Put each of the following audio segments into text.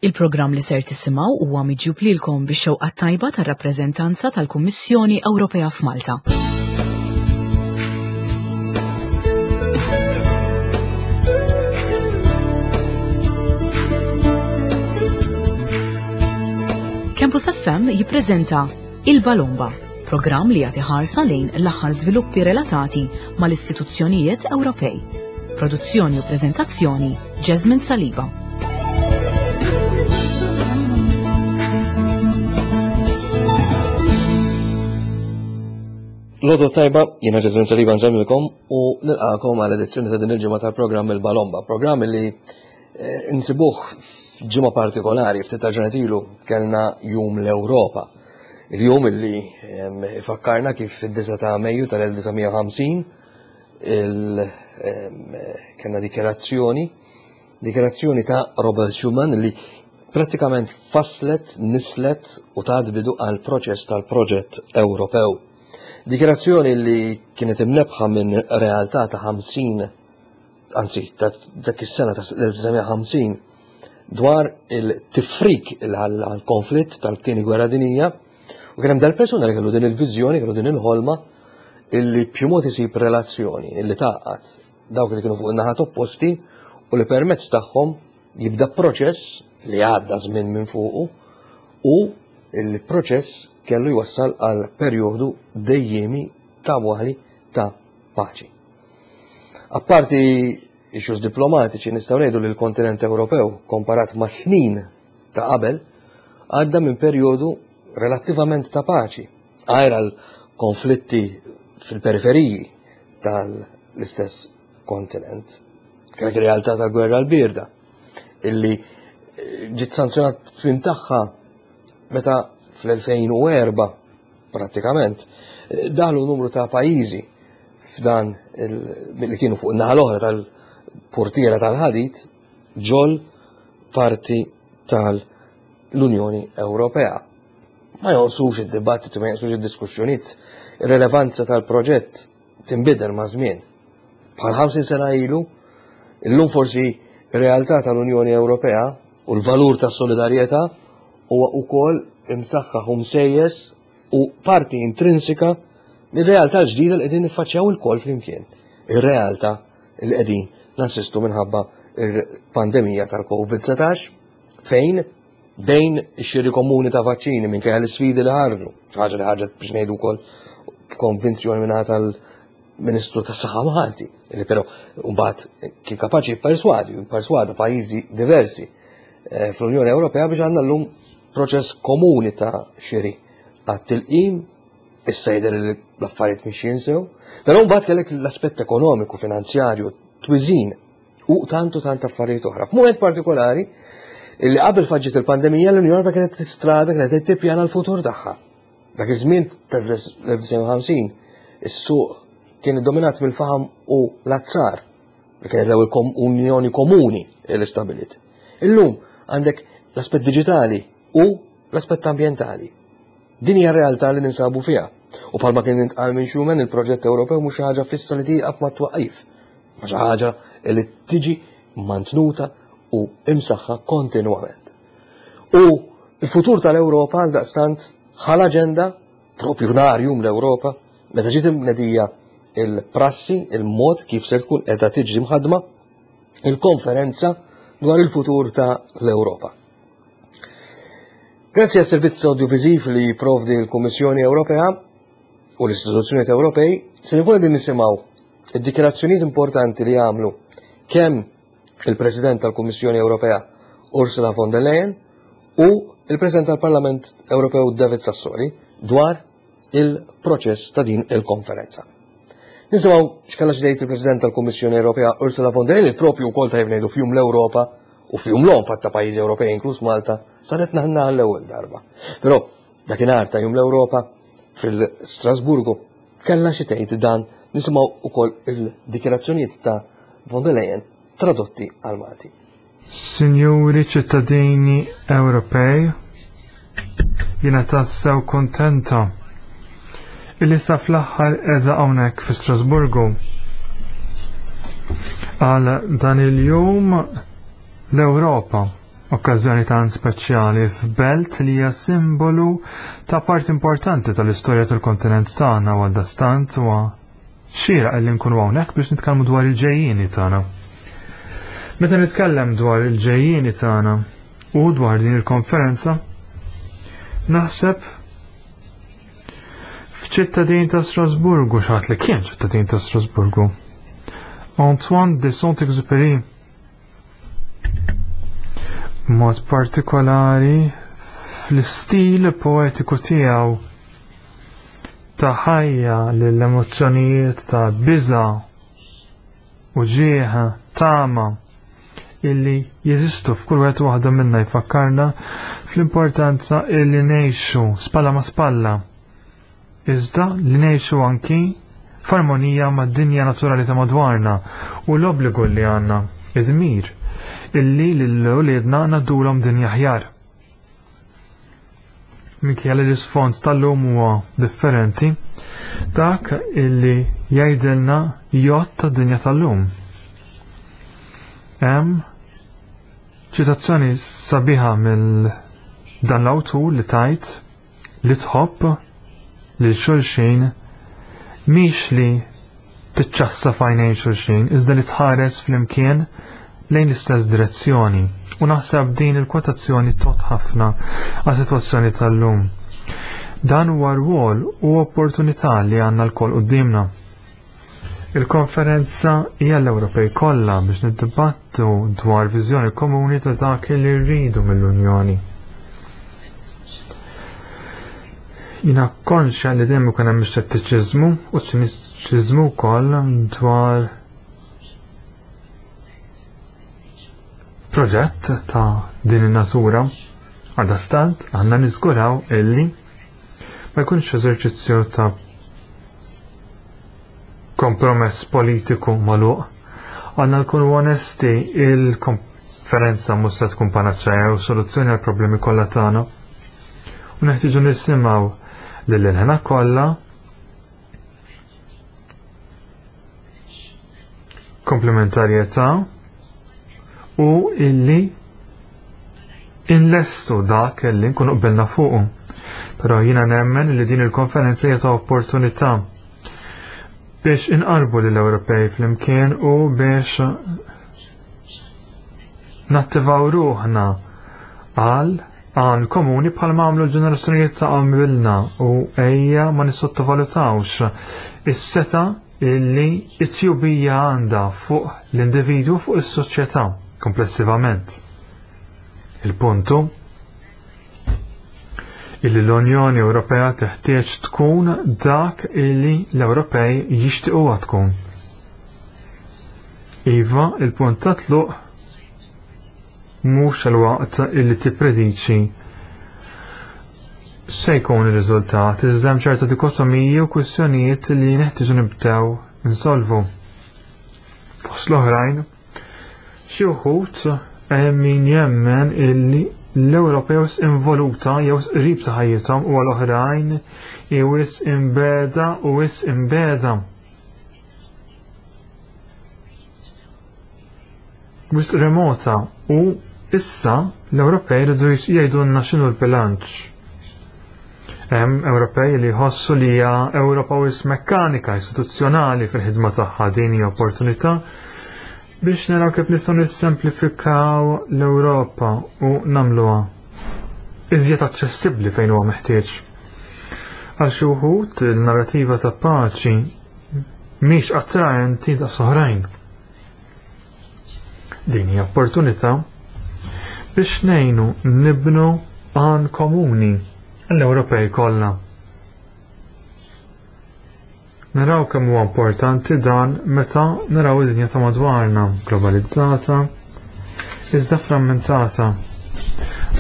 Il-programm li ser tisimgħu huwa miġjub lilkom bix-xewqa tajba tar-rappreżentanza tal-Kummissjoni Ewropea f'Malta. Campus FM jippreżenta Il-Balomba, programm li jagħti ħarsa lejn l-aħħar żviluppi relatati mal-istituzzjonijiet Ewropej. Produzzjoni u preżentazzjoni Jasmine Saliba. Lodo tajba, jiena Jasmine Saliba nżemmilkom u nilqakom għal edizzjoni ta' din il-ġimgħa tal-programm Il-Balomba, programm li eh, nsibuh f'ġimgħa partikolari, ftit ta' ġranet ilu kellna Jum l-Ewropa. Il-jum illi ifakkarna kif fid-9 ta' Mejju tal-1950 kellna dikjerazzjoni, dikjerazzjoni ta' Robert Schuman li prattikament faslet, nislet u tat bidu għal proċess tal-proġett Ewropew. Dikjerazzjoni li kienet imnebħa minn realtà ta' 50 anzi ta' dak is-sena ta' 1950 dwar il-tifrik għal-konflitt tal-tieni gwerra dinija u kien hemm dal-persuna li kellu din il-viżjoni, kellu din il-ħolma illi b'xi mod isib relazzjoni illi tgħaqqad dawk li kienu fuq in-naħat opposti u li permezz tagħhom jibda proċess li għadda żmien minn fuqu u il-proċess kellu jwassal għal perjodu dejjemi ta' waħli ta' paċi. Apparti issues diplomatiċi nistgħu ngħidu li l-kontinent Ewropew komparat ma' snin ta' qabel għadda minn perjodu relattivament ta' paċi, għajr għal konflitti fil-periferiji tal-istess kontinent. Kellek realtà tal-gwerra l-birda, illi eh, ġiet sanzjonat tmim tagħha meta fl-2004 prattikament eh, daħlu numru ta' pajjiżi f'dan li kienu fuq in-naħa l-oħra tal-portiera tal-ħadid ġol parti tal-Unjoni Ewropea. Ma jonqsux id-dibattitu, ma jonqsux id-diskussjonijiet, ir-relevanza tal-proġett tinbidel ma' żmien. Bħal 50 sena ilu, illum forsi realtà tal-Unjoni Ewropea u l-valur tas-solidarjetà huwa wkoll imsaħħaħ u msejjes u parti intrinsika mir-realtà l-ġdida li qegħdin niffaċċjaw ilkoll flimkien. Ir-realtà li qegħdin nassistu minħabba il-pandemija tal-COVID-19 fejn bejn ix-xiri komuni ta' vaċċini minkejja l-isfidi li ħarġu, xi ħaġa li ħarġet biex ngħidu wkoll b'konvinzjoni mingħata tal-Ministru tas-Saħħa Malti, li però mbagħad kien kapaċi jipperswadi, jipperswada pajjiżi diversi eh, fl-Unjoni Ewropea biex għandna llum proċess komuni ta' xiri għat-tilqim, issa jidher li l-affarijiet mhix jinsew, però mbagħad kellek l-aspett ekonomiku, finanzjarju, twiżin u tant u tant affarijiet oħra. F'mument partikolari, illi qabel faġġiet il-pandemija l-Unjoni Ewropea kienet tistrada kienet qed tippjana l-futur tagħha. Dak iż-żmien tal-1950 is-suq kien iddominat mill-faħam u l-azzar li kienet l-ewwel unjoni komuni li stabilit. Illum għandek l-aspett diġitali u l-aspett ambjentali. Din hija realtà li ninsabu fiha. U bħalma kien intqal minn Schuman, il-proġett Ewropew mhux xi ħaġa fissa li tieqaf ma twaqqif, ma xi ħaġa li tiġi mantnuta u imsaħħa kontinwament. U l-futur tal-Ewropa għal daqstant ħal aġenda propju nhar jum l-Ewropa meta ġiet imnedija il-prassi, il-mod kif ser tkun qiegħda tiġi mħaddma il-konferenza dwar il-futur ta' l-Ewropa. Grazzi għas servizz audiovisiv li jipprovdi l-Kummissjoni Ewropea u l-istituzzjonijiet Ewropej, se nkun qegħdin nisimgħu id-dikjarazzjonijiet importanti li għamlu kemm il-President tal-Kummissjoni Ewropea Ursula von der Leyen u il-President tal-Parlament Ewropew David Sassoli dwar il-proċess ta' din il-konferenza. Nisimgħu x'kella xi il-President tal-Kummissjoni Ewropea Ursula von der Leyen propju wkoll tajjeb ngħidu f'jum l-Ewropa u f'jum l-omm fatta pajjiżi Ewropej inkluż Malta saret naħna għall-ewwel darba. Però dakinhar ta' jum l-Ewropa fil-Strasburgu kellha xi tgħid dan nisimgħu wkoll il-dikjarazzjonijiet ta' von der Leyen tradotti għal Malti. Sinjuri ċittadini Ewropej, jiena tassew kontenta illi sa fl-aħħar eża hawnhekk fi Strasburgu. Għal dan il-jum l-Ewropa. Okkażjoni tant speċjali f'belt li hija simbolu ta' parti importanti tal-istorja tal-kontinent tagħna u għaldaqstant huwa xieraq li nkunu hawnhekk biex nitkellmu dwar il-ġejjieni tagħna. Meta nitkellem dwar il-ġejjieni tagħna u dwar din il-konferenza, naħseb f'ċittadin ta' Strasburgu, xaħat li kien ċittadin ta' Strasburgu. Antoine de Saint-Exupéry mod partikolari fl-istil poetiku tiegħu ta' ħajja lill-emozzjonijiet ta' biża' u ġieħa tama illi jeżistu f'kull wieħed waħda minna jfakkarna fl-importanza illi ngħixu spalla ma' spalla. Iżda li ngħixu anki f'armonija mad-dinja naturali ta' madwarna u l-obbligu li għandna id-dmir illi lil-uliedna naddulhom dinja ħjar. Minkejja li l-isfond tal-lum huwa differenti, dak illi jgħidilna jgħod tad-dinja tal-lum. Hemm ċitazzjoni sabiħa mill dan l-awtur li tajt li tħobb li xulxin mhix li tiċċassa f'għajnejn xulxin, iżda li tħares flimkien lejn l-istess direzzjoni. U naħseb din il-kwotazzjoni tot ħafna għas-sitwazzjoni tal-lum. Dan huwa rwol u opportunità li għandna lkoll quddiemna. Il-konferenza hija l-Ewropej kollha biex niddibattu dwar viżjoni komuni ta' dak li rridu mill-Unjoni. Jina konxja li dejjem ikun hemm xettiċiżmu u ċiniċiżmu wkoll dwar proġett ta' din in-natura. Għaldaqstant għandna niżguraw illi ma jkunx eżerċizzju ta' kompromess politiku magħluq. Għandna nkunu onesti il-konferenza mhux se tkun panaċċeja u soluzzjoni għal problemi kollha tagħna. U neħtieġu nisimgħu lil ħena kollha komplementarjetà u illi inlestu dak illi nkunu qbilna fuqu. Però jiena nemmen li din il-konferenza hija ta' opportunità biex inqarbu lill Ewropej flimkien u biex nattivaw ruħna għal għan komuni bħal ma għamlu l-ġenerazzjonijiet ta' qabilna u ejja ma nissottovalutawx is-seta illi it-tjubija għandha fuq l-individwu fuq is-soċjetà komplessivament. Il-puntu illi l-Unjoni Ewropea teħtieġ tkun dak illi l-Ewropej jixtiequha tkun. Iva, il-punt ta' tluq mhux il-waqt illi tipprediċi se jkun ir-riżultat, iżda hemm ċerta dikotomiji u kwistjonijiet li neħtieġu nibdew insolvu. Fost l-oħrajn, xi wħud hemm min jemmen illi l-Ewropa jew involuta jew qrib ta' ħajjithom u għal oħrajn jew imbeda u wis imbeda. Wis remota u issa l-Ewropej rridu jgħidulna x'inhu l-bilanċ. Hemm Ewropej li jħossu li hija Ewropa wis mekkanika istituzzjonali fil-ħidma tagħha din hija opportunità biex naraw kif nistgħu nissemplifikaw l-Ewropa u nagħmluha iżjed aċċessibbli fejn huwa meħtieġ. Għal xi wħud il-narrativa ta' paċi mhix attraenti ta' soħrajn. Din hija opportunità biex ngħinu nibnu għan komuni l-Ewropej kollha. Naraw kemm huwa importanti dan meta naraw id-dinja ta' madwarna globalizzata, iżda frammentata,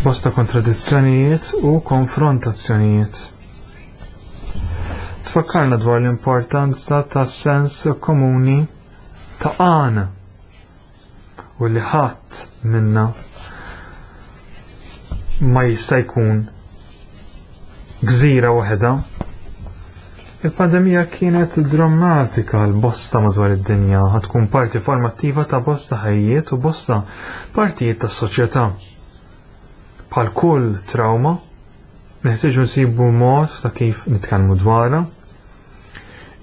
bosta kontradizzjonijiet u konfrontazzjonijiet. Tfakkarna dwar l-importanza ta' sens komuni ta' għana u li ħadd minna ma jista' jkun gżira waħedha. Il-pandemija kienet drammatika għal bosta madwar id-dinja, tkun parti formattiva ta' bosta ħajjiet u bosta partijiet tas soċjetà. Bħal kull trauma, neħtieġu nsibu mod ta' kif nitkellmu dwarha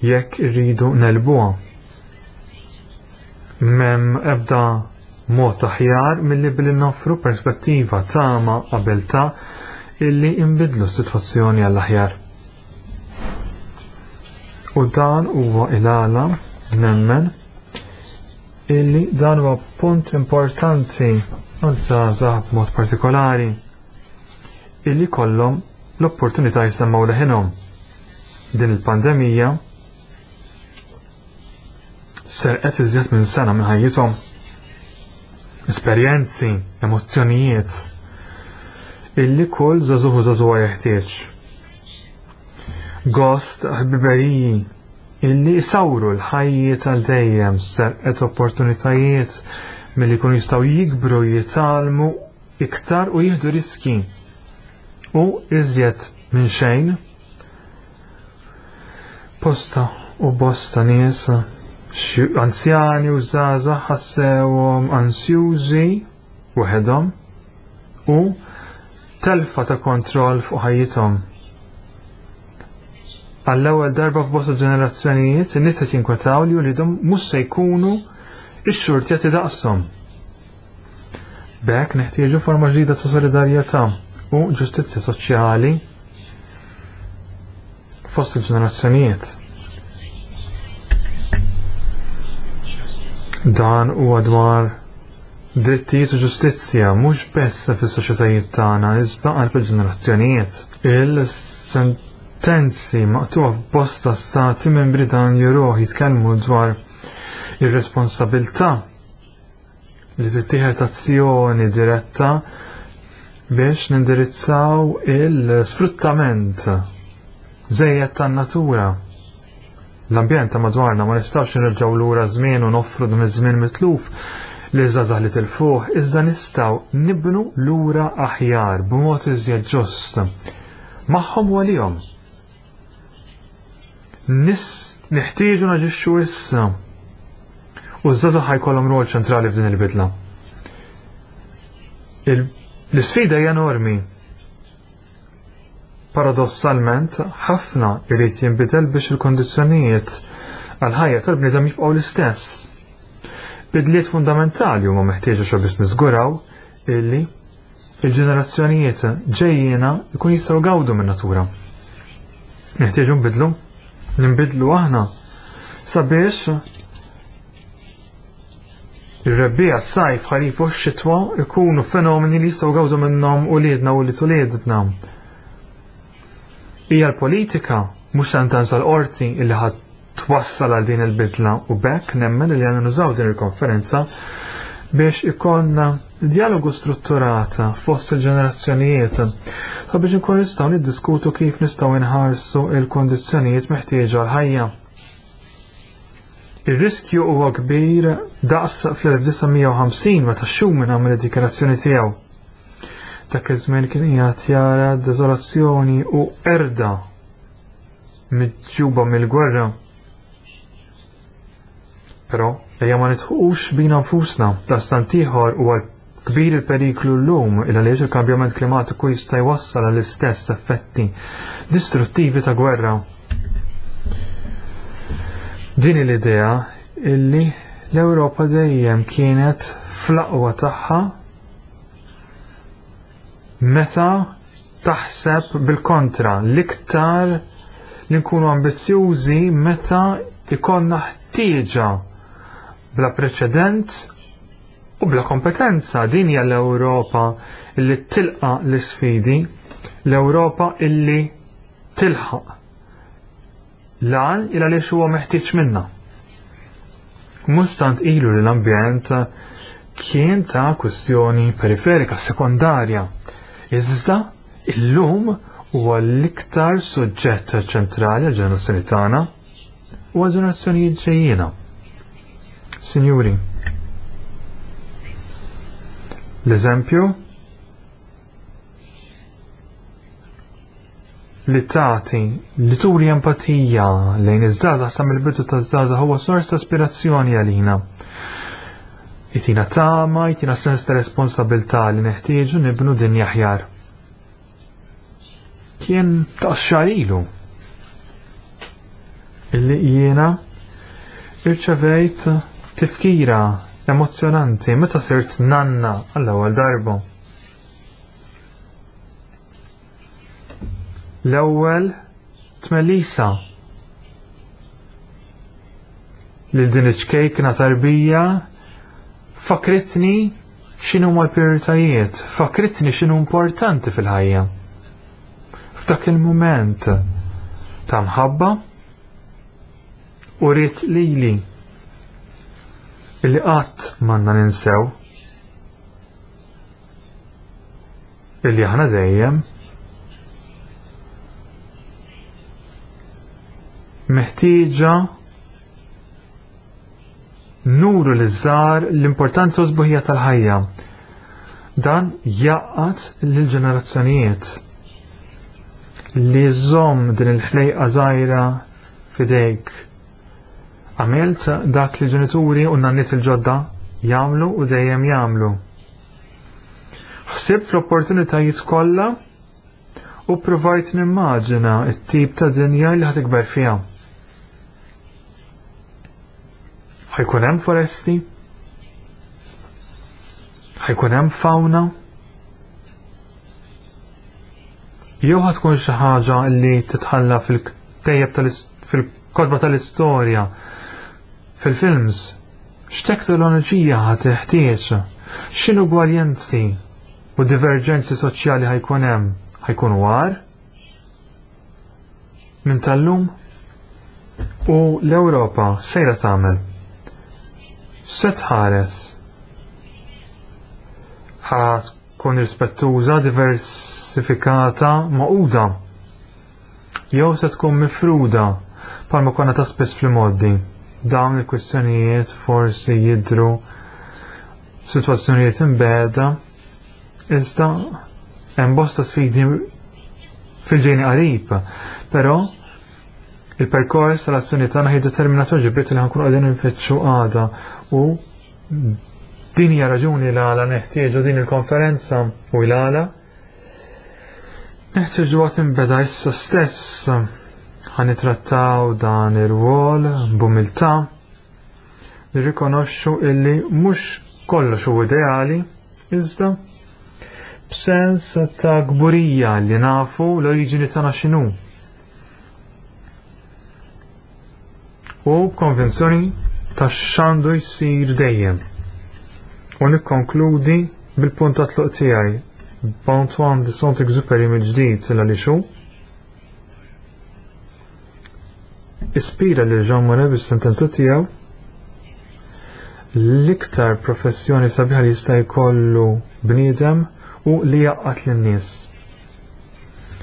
jekk irridu nelbuha. M'hemm ebda mod aħjar milli billi noffru perspettiva tama qabel ta' illi inbidlu s-sitwazzjoni għall-aħjar. U dan huwa il-għala nemmen illi dan huwa punt importanti għaż-żgħażagħ b'mod partikolari illi kollhom l-opportunità jsemmaw leħinhom. Din il-pandemija serqet iżjed minn sena minn ħajjithom. Esperjenzi, emozzjonijiet illi kull żagħżugħ u żagħżugħa jeħtieġ. Gost ħbiberiji illi jsawru l-ħajjiet għal dejjem, serqet opportunitajiet milli jkunu jistgħu jikbru, jitgħallmu iktar u jieħdu riski. U iżjed minn xejn, posta u bosta nies anzjani u żgħażagħ ħassewhom ansjużi waħedhom u telfa ta' kontroll fuq ħajjithom. Għall-ewwel darba f'bosta ġenerazzjonijiet in-nies qed jinkwetaw li wliedhom mhux se jkunu x-xurti qed idaqshom. B'hekk neħtieġu forma ġdida ta' solidarjetà u ġustizzja soċjali fost il-ġenerazzjonijiet. Dan huwa dwar drittijiet u ġustizzja mhux biss fis-soċjetajiet tagħna iżda għal ġenerazzjonijiet. Il-sentenzi maqtuha f'bosta stati membri dan juruh jitkellmu dwar ir-responsabilità li tittieħed azzjoni diretta biex nindirizzaw il-sfruttament żejjed tan-natura. L-ambjent ta' madwarna ma nistgħux nirġgħu lura żmien u noffru dan iż-żmien mitluf li żgħażagħ li tilfuh, iżda nistgħu nibnu lura aħjar b'mod iżjed ġust. Magħhom u għalihom. Nis neħtieġu naġixxu issa. U ż-żgħażagħ ħajkollhom rol ċentrali f'din il-bidla. L-isfida hija enormi. Paradossalment, ħafna jrid jinbidel biex il-kondizzjonijiet għal-ħajja tal-bniedem jibqgħu l-istess. Bidliet fundamentali huma meħtieġa xo biex niżguraw illi il-ġenerazzjonijiet ġejjiena jkun jistgħu gawdu min-natura. Neħtieġu nbidlu, nbidlu aħna sabiex ir-rebbiegħa, s-sajf, ħarif u x-xitwa ikunu fenomeni li jistgħu gawdu minnhom uliedna u li uliedna. Hija l-politika mhux sentenza l-qorti illi ħadd twassal għal din il-bidla u bekk nemmen li għandna nużaw din il-konferenza biex ikollna dialogu strutturata fost il-ġenerazzjonijiet sabiex inkun nistgħu niddiskutu kif nistgħu nħarsu il-kondizzjonijiet meħtieġa għal-ħajja. Ir-riskju huwa kbir daqs fl-1950 meta Schuman għamel id-dikjarazzjoni tiegħu. Dak iż-żmien kien qiegħed jara deżolazzjoni u erda miġjuba mill-gwerra. Però ejja ma nitħuqux bina nfusna, dastant ieħor huwa kbir il-periklu llum il għaliex il-kambjament klimatiku jista' jwassal għall-istess effetti distruttivi ta' gwerra. Din l-idea illi l-Ewropa dejjem kienet fl-aqwa tagħha meta taħseb bil-kontra l-iktar li nkunu ambizzjużi meta ikollna ħtieġa bla preċedent u bla kompetenza. Din hija l-Ewropa illi tilqa l-isfidi, l-Ewropa illi tilħaq l-għan il għaliex huwa meħtieġ minna. Mhux tant ilu li l-ambjent kien ta' kwestjoni periferika, sekondarja. Iżda illum huwa l-iktar suġġett ċentrali għal ġenerazzjoni tagħna u għal ġenerazzjonijiet ġejjiena. Sinjuri, l-eżempju li tagħti li turi empatija lejn iż-żgħażagħ sa mill-bidu taż-żgħażagħ huwa sors ta' ispirazzjoni għalina. Jtina tama, jtina sens ta' responsabilità li neħtieġu nibnu dinja aħjar. Kien ta' xarilu illi jiena irċevejt tifkira emozjonanti meta sirt nanna għall-ewwel darba. L-ewwel tmelisa lil din iċ-ċkejkna tarbija fakritni x'inhu l-prijoritajiet, fakritni x'inhu importanti fil-ħajja. F'dak il-mument ta' mħabba u rrit lili illi qatt m'għandna ninsew illi aħna dejjem meħtieġa nuru li żgħar l-importanza u sbuħija tal-ħajja. Dan jaqgħad lill-ġenerazzjonijiet li żomm din il-ħlejqa żgħira f'idejk. Għamilt dak li ġenituri u nanniet il-ġodda jagħmlu u dejjem jagħmlu. Ħsibt fl-opportunitajiet kollha u provajt nimmaġina t-tip ta' dinja li ħatikber fiha. Ħajkun hemm foresti, ħajkun hemm fauna, jew ħatkun xi ħaġa li titħalla fil-tejjeb fil-kotba tal-istorja, fil-films, x'teknoloġija ħad teħtieġ, x'inugwaljanzi u diverġenzi soċjali ħajkun hemm, ħajkun war minn tal-lum u l-Ewropa sejra tagħmel. Se tħares ħa tkun rispettuża, diversifikata, maquda. Jew se tkun mifruda bħalma konna ta' spiss fl-modi. Dawn il-kwistjonijiet forsi jidhru f'sitwazzjonijiet imbegħda, iżda hemm bosta sfidi fil-ġejni qarib, però il-perkors tal-azzjoni tagħna ħiddetermina tweġibiet li ħankunu qegħdin infittxu għada u din hija raġuni l għala neħtieġu din il-konferenza u l għala neħtieġu għad inbeda issa stess ħanitrattaw dan ir-rwol b'umiltà nirrikonoxxu illi mhux kollox hu ideali iżda b'sens ta' kburija li nafu l-oriġini tagħna x'inhu. U b'konvinzjoni ta' x'għandu jsir dejjem. U nikkonkludi bil-punt ta' tluq tiegħi b'Antoine de Saint-Exupéry mill-ġdid għaliex hu ispira lil Jean Monnet bis-sentenza tiegħu l-iktar professjoni sabiħa li jista' jkollu bniedem u li jaqgħad lin-nies.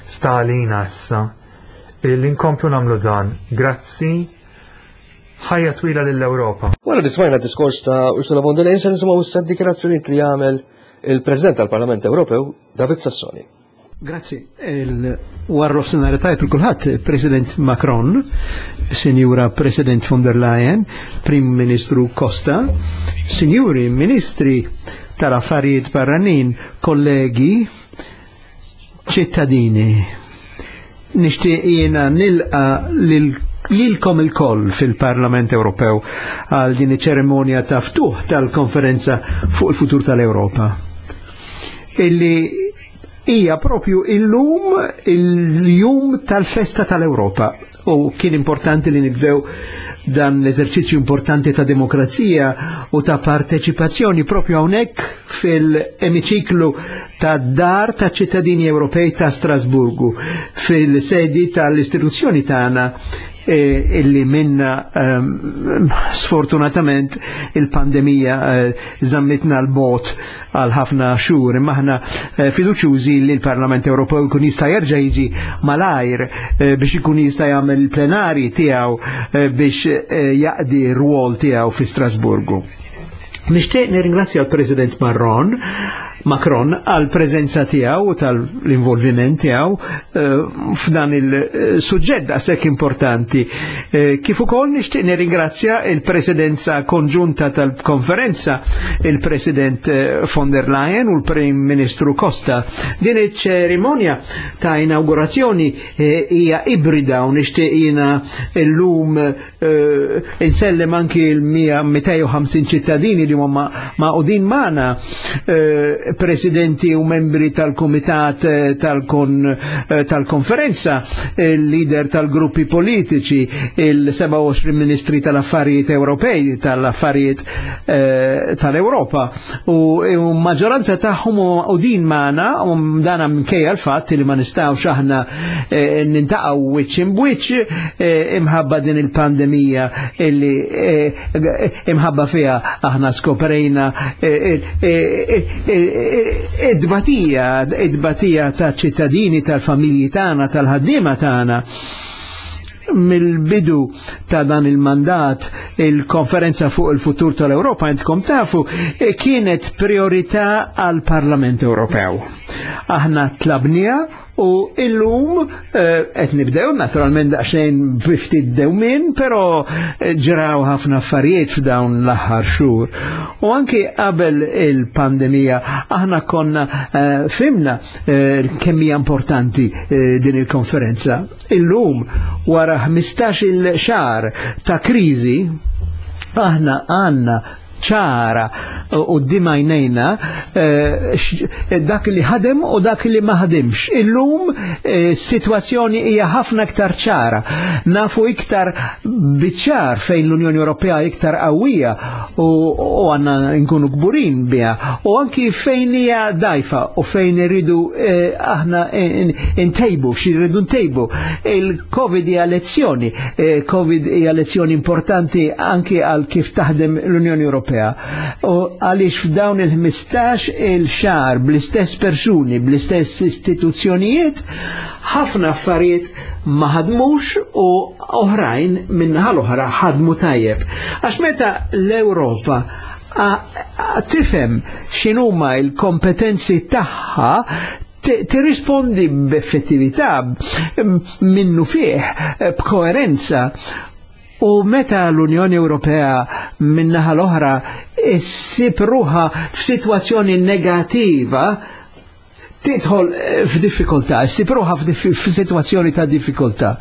Sta għalina issa li nkomplu nagħmlu dan. Grazzi, ħajja twila lill-Ewropa. Wara li smajna diskors ta' Ursula von der Leyen se nisimgħu issa d-dikjarazzjonijiet li għamel il-President tal-Parlament Ewropew David Sassoli. Grazzi. Warrof senari tajb il-kulħadd, President Macron, Sinjura President von der Leyen, Prim Ministru Costa, Sinjuri Ministri tal-Affarijiet Barranin, kollegi, ċittadini. Nixtieq jiena nilqa lilkom il-koll fil-Parlament Ewropew għal din iċ-ċerimonja ta' ftuħ tal-konferenza fuq il-futur tal-Ewropa. Illi hija propju illum il-jum tal-festa tal-Ewropa u kien importanti li nibdew dan l-eżerċizzju importanti ta' demokrazija u ta' parteċipazzjoni propju hawnhekk fil-emiċiklu ta' dar ta' ċittadini Ewropej ta' Strasburgu fil-sedi tal-istituzzjoni tagħna illi minna sfortunatament il-pandemija zammitna l-bot għal ħafna xhur, imma aħna fiduċjużi li l-Parlament Ewropew jkun jista' jerġa' jiġi malajr biex ikun jista' jagħmel il-plenari tiegħu biex jaqdi r-rwol tiegħu fi Strasburgu. Nixtieq nirringrazzja l-President Marron Macron għal preżenza tiegħu u tal-involviment tiegħu f'dan il-suġġett daqshekk importanti. Kif ukoll nixtieq nirringrazzja il-Presidenza Konġunta tal-Konferenza, il-President von der Leyen u l-Prim Ministru Costa. Din iċ-ċerimonja ta' inaugurazzjoni hija ibrida u nixtieq jiena llum insellem anki l-250 ċittadini li huma maqudin magħna, presidenti u membri tal-komitat tal-konferenza, il-leader tal-gruppi politiċi, il-27 ministri tal-affarijiet Ewropej, tal-affarijiet tal-Ewropa. U maġġoranza tagħhom u din magħna, u dana minkejja l-fatt li ma nistgħux aħna nintaqgħu wiċċ imbwiċċ imħabba din il-pandemija illi imħabba fiha aħna skoprejna id-dbatija ta' ċittadini, tal-familji tagħna, tal-ħaddiema tagħna. Mill-bidu ta' dan il-mandat, il-konferenza fuq il-futur tal-Europa, intkom tafu, kienet priorità għal Parlament Ewropew. Aħna tlabnija u illum qed nibdew naturalment daqsxejn biftit dewmien, però ġraw ħafna affarijiet f'dawn l-aħħar xhur. U anki qabel il-pandemija aħna konna fimna kemm hija importanti din il-konferenza. Illum wara 15-il xahar ta' kriżi aħna għandna ċara u d-dimajnejna dak li ħadem u dak li ma ħademx. Illum situazzjoni hija ħafna iktar ċara. Nafu iktar biċ-ċar fejn l-Unjoni Ewropea iktar qawwija u għandna nkunu kburin biha, u anki fejn hija dajfa u fejn irridu aħna ntejbu, xi rridu ntejbu. Il-Covid hija lezzjoni, Covid hija lezzjoni importanti anki għal kif taħdem l-Unjoni Ewropea. U għaliex f'dawn il-15 il-xahar bl-istess persuni, bl-istess istituzzjonijiet, ħafna affarijiet ma ħadmux u oħrajn minnaħa l-oħra ħadmu tajjeb. Għax meta l-Ewropa tifhem x'inhuma l-kompetenzi tagħha, tirrispondi b'effettività, minnu fih, b'koerenza. U meta l-Unjoni Ewropea minnaħa l-oħra issib ruħha f'sitwazzjoni negativa, tidħol f'diffikultà, issib ruħha f'sitwazzjoni ta' diffikultà.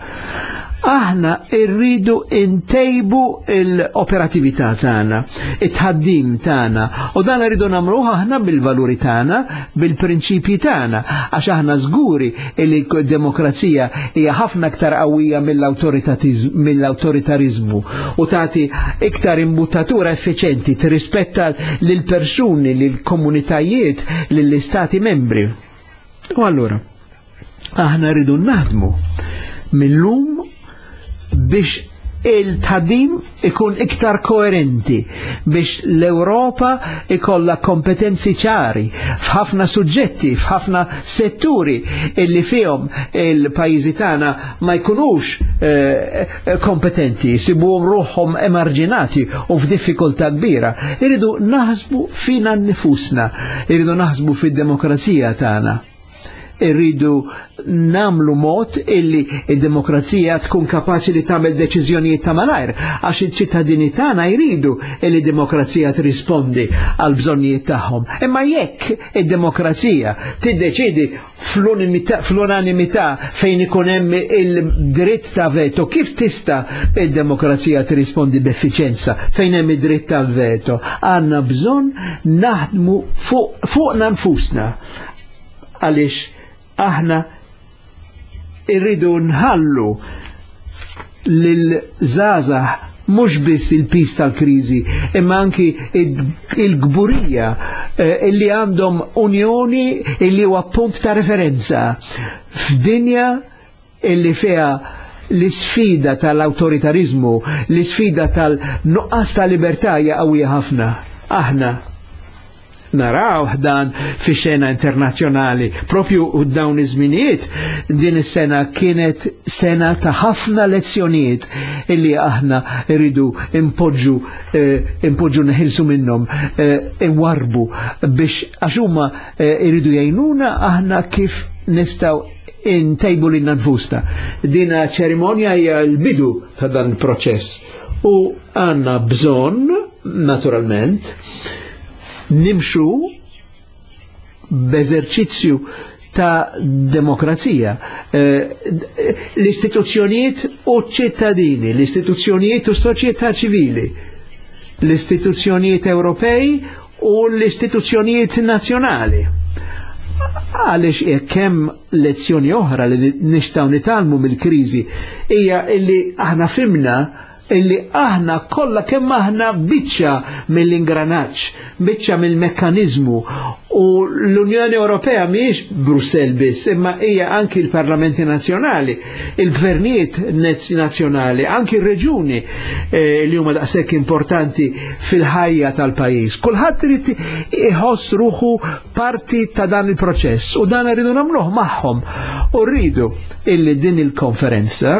Aħna rridu ntejbu l-operatività tagħna, it-tħaddim tagħna, u dan rridu nagħmluh aħna bil-valuri tagħna, bil-prinċipji tagħna, għax aħna żguri li d-demokrazija hija ħafna aktar qawwija mill-awtoritarizmu u tagħti iktar imbuttatura effiċenti, tirrispetta lill-persuni, lill-komunitajiet, lill-istati membri. U allura aħna rridu naħdmu mill-lum biex il-tħaddim ikun iktar koerenti, biex l-Europa ikolla kompetenzi ċari f'ħafna suġġetti, f'ħafna setturi illi fihom il-pajjiżi tagħna ma jkunux kompetenti, jsibuhom ruħhom emarġinati u f'diffikultà kbira. Irridu naħsbu fina nifusna, irridu naħsbu fid-demokrazija tagħna. Irridu namlu mod illi id-demokrazija tkun kapaċi li tagħmel deċiżjonijiet ta' malajr, għax iċ-ċittadini tagħna jridu illi demokrazija trispondi għal bżonnijiet tagħhom. Imma jekk id-demokrazija tiddeċidi fl-unanimità fejn ikun hemm il-dritt ta' veto, kif tista' id-demokrazija tirrispondi b'effiċenza fejn hemm id-dritt tal-veto? Għandna bżonn naħdmu fuqna nfusna, għaliex aħna irridu nħallu lil-żgħażagħ mhux biss il-pis tal-kriżi, imma anki il-gburija illi għandhom unjoni illi huwa punt ta' referenza f'dinja illi fiha l-isfida tal-awtoritarizmu, l-isfida tal-nuqqas ta' libertà hija qawwija ħafna. Aħna Naraw dan fi xena internazzjonali. Propju dawn iż-żminijiet din is-sena kienet sena ta' ħafna lezzjonijiet illi aħna rridu impoġġu eh, impoġġu neħilsu minnhom eh, inwarbu biex għax huma eh, iridu jgħinuna aħna kif nistgħu intejbu lilna nfusna. Dina ċerimonja hija l-bidu ta' dan il-proċess u għanna bżonn naturalment nimxu b'eżerċizzju ta' demokrazija. Eh, l-istituzzjonijiet u ċittadini, l-istituzzjonijiet u soċjetà ċivili, l-istituzzjonijiet Ewropej u l-istituzzjonijiet nazzjonali. Għaliex jekk hemm lezzjoni oħra li nixtaw nitalmu mill-kriżi hija illi aħna fimna illi aħna kollha kemm aħna biċċa mill-ingranaġġ, biċċa mill-mekkaniżmu u l-Unjoni Ewropea mhijiex Brussell biss, imma hija anki l-Parlamenti Nazzjonali, il-gvernijiet nazzjonali, anki r-reġuni eh, li huma daqshekk importanti fil-ħajja tal-pajjiż. Kulħadd irid iħoss ruħu parti ta' dan il-proċess u dan rridu nagħmluh magħhom. U rridu illi din il-konferenza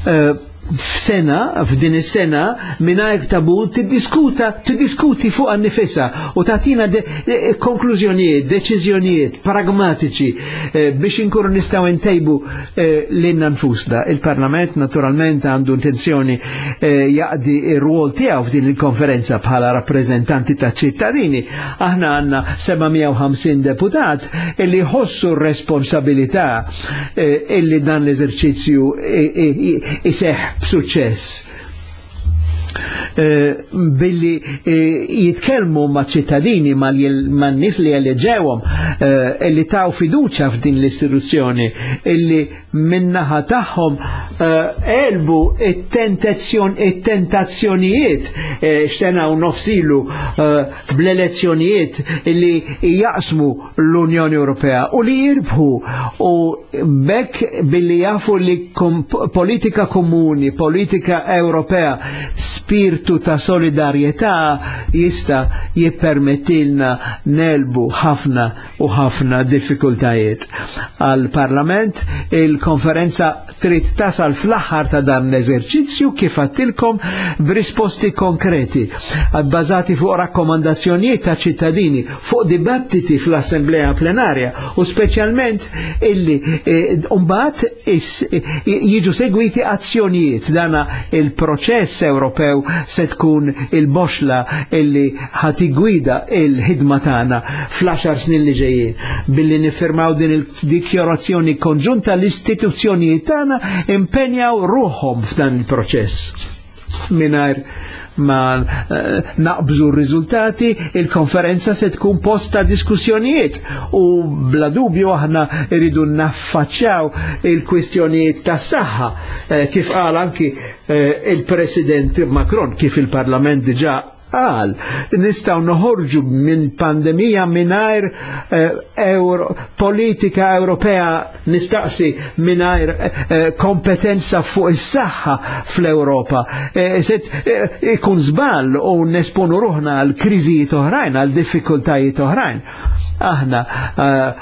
eh, f'sena, f'din is-sena, mingħajr tabu tiddiskuta, tiddiskuti fuq annifisa u tagħtina de, de, konklużjonijiet, deċiżjonijiet pragmatiċi eh, biex inkunu nistgħu ntejbu eh, lilna nfusna. Il-Parlament naturalment għandu intenzjoni eh, jaqdi ir-rwol tiegħu f'din il-konferenza bħala rappreżentanti ta' ċittadini. Aħna għandna 750 deputat illi jħossu r-responsabilità eh, illi dan l-eżerċizzju iseħ b'suċċess. Eh, billi eh, jitkellmu ma' ċittadini ma' nies li eleġewhom eh, illi taw fiduċa f'din l-istituzzjoni illi minnaħa tagħhom elbu it-tentazzjonijiet x'sena u nofsilu bl-elezzjonijiet illi jaqsmu l-Unjoni Ewropea u li jirbħu u bekk billi jafu li politika komuni, politika Ewropea spirtu ta' solidarjetà jista' jippermettilna nelbu ħafna u ħafna diffikultajiet. Għal Parlament il-konferenza trid tasal fl-aħħar ta' dan l-eżerċizzju kif għattilkom b'risposti konkreti bbażati fuq rakkomandazzjonijiet ta' ċittadini, fuq dibattiti fl-Assemblea Plenarja u speċjalment illi eh, mbagħad eh, jiġu segwiti azzjonijiet dana il-proċess Ewropew se tkun il-boxla illi ħati gwida il-ħidma tagħna fl-10 snin li ġejjin. Billi niffirmaw din il-dikjarazzjoni konġunta l-istituzzjonijiet tagħna impenjaw ruħhom f'dan il-proċess. Mingħajr ma eh, naqbżu r-riżultati, il-konferenza se tkun posta diskussjonijiet u bla dubju aħna rridu naffaċċjaw il-kwistjonijiet tas saħħa eh, kif qal anki eh, il-President Macron kif il-Parlament diġà qal nistgħu noħorġu minn pandemija mingħajr eh, euro, politika Ewropea nistaqsi mingħajr eh, kompetenza fuq is-saħħa fl-Ewropa. Eh, ikun żball u nesponu ruħna għal kriżijiet oħrajn, għal diffikultajiet oħrajn. Aħna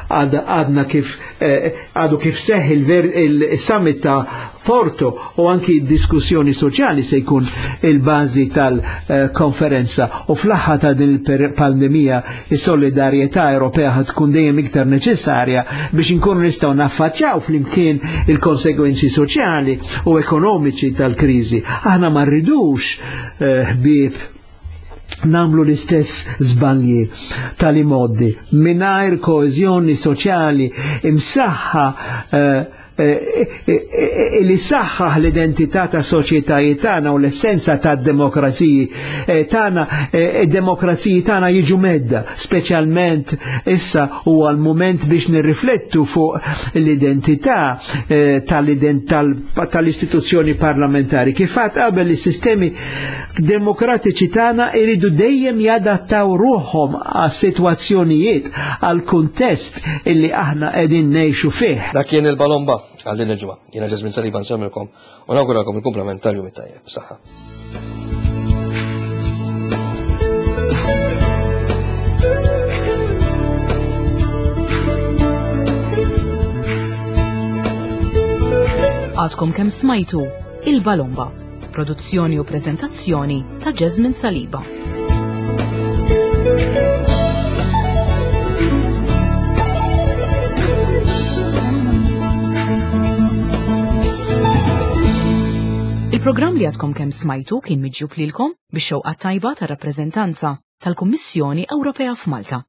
għadna kif għadu kif seħ il-summit ta' Porto u anki diskussjoni soċjali se jkun il-bażi tal-konferenza u fl-aħħar ta' din il-pandemija is-solidarjetà Ewropea ħad tkun dejjem iktar neċessarja biex inkunu nistgħu naffaċċjaw flimkien il-konsegwenzi soċjali u ekonomiċi tal-kriżi. Aħna ma rridux eh, ħbieb namlu l-istess żbalji tal-imoddi mingħajr koeżjoni soċjali imsaħħa eh, Eh, eh, eh, li saħħaħ l-identità ta' soċjetajiet tagħna u l-essenza ta' demokraziji tagħna, id-demokraziji tagħna jiġu medda, speċjalment issa huwa l-mument biex nirriflettu fuq l-identità tal-istituzzjoni parlamentari. Kif għad qabel is-sistemi demokratiċi tagħna iridu dejjem jadattaw ruħhom għas-sitwazzjonijiet, għal-kuntest illi aħna qegħdin ngħixu fih. Dak kien il-balomba għal din il-ġimgħa. Jiena Ġesmin Saliba nsemmilkom u nawguralkom il-kumplament tal-jum it-tajjeb. Saħħa. Għadkom kemm smajtu Il-Balomba, produzzjoni u preżentazzjoni ta' Jasmine Saliba. Il-programm li għadkom kemm smajtu kien miġjub lilkom bix-xewqa tajba tar-rappreżentanza tal-Kummissjoni Ewropea f'Malta.